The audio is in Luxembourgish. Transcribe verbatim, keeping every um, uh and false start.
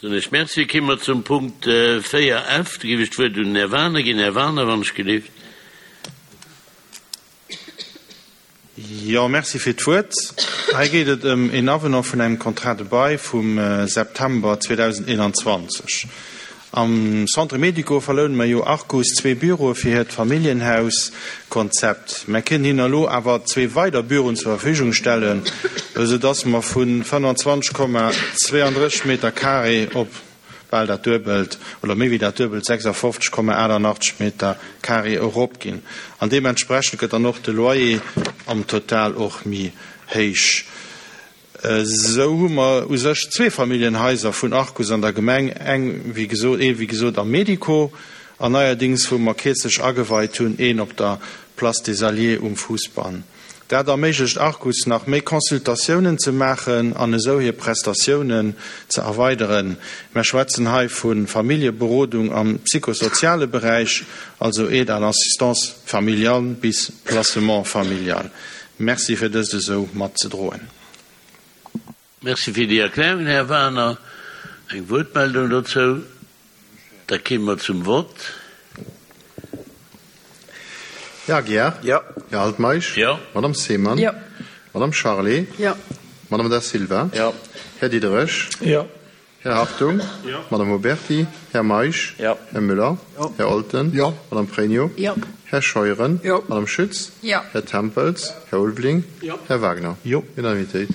Soen ech Merci. Komme mer zum Punkt véier F. Do géif ech d'Wuert un den Här Wagener ginn. Här Wagener, wann ech gelift. Jo, Merci fir d'Wuert. Hei geet et ëm een Avenant vun engem Contrat de bail vum September zweedausendeenanzwanzeg. Am Centre médico verloune mer jo Arcus zwee Büroe fir hiert Familljenhaus-Konzept. Mer kënnen hinnen elo awer zwee weider Büroen zur Verfügung stellen, esou dass mer vu fënnanzwanzeg Komma zweeandrësseg Meter carré op bal dat Duebelt oder méi wéi dat Duebelt, sechsafofzeg Komma achtannachtzeg Meter carré, eropginn. An deementsprechend gëtt dann och de Loyer am Total och méi héich. Esou hu mer u sech zwee Familljenhaiser vun Arcus an der Gemeng, eng wéi gesot, ee wéi gesot am Medico an neierdings, wou mer kierzlech ageweit hunn, een op der Place des Alliés um Fousbann. Dat erméiglecht Arcus nach méi Consultatiounen ze maachen an esou hir Prestatiounen ze erweideren. Mer schwätzen hei vu Familljeberodung am psychosoziale Beräich, also Aide à l'assistance familiale bis Placement familial. Merci fir dëst esou matzedroen. Merci fir déi Erklärungen, Här Wagener. Eng Wuertmeldung dozou? Da kéime mer zum Vott. Här Aguiar? Jo. Här Altmeisch? Jo. Madame Seemann? Jo. Madame Charlé? Jo. Madame Da Silva? Jo. Här Diderich? Jo. Här Hartung? Jo. Madame Oberti? Här Meisch? Jo. Här Müller? Jo. Här Olten? Jo. Madame Pregno? Jo. Här Scheuren? Jo. Madame Schütz? Jo. Här Tempels? Här Ulveling? Jo. Här Wagner? Jo. Unanimitéit.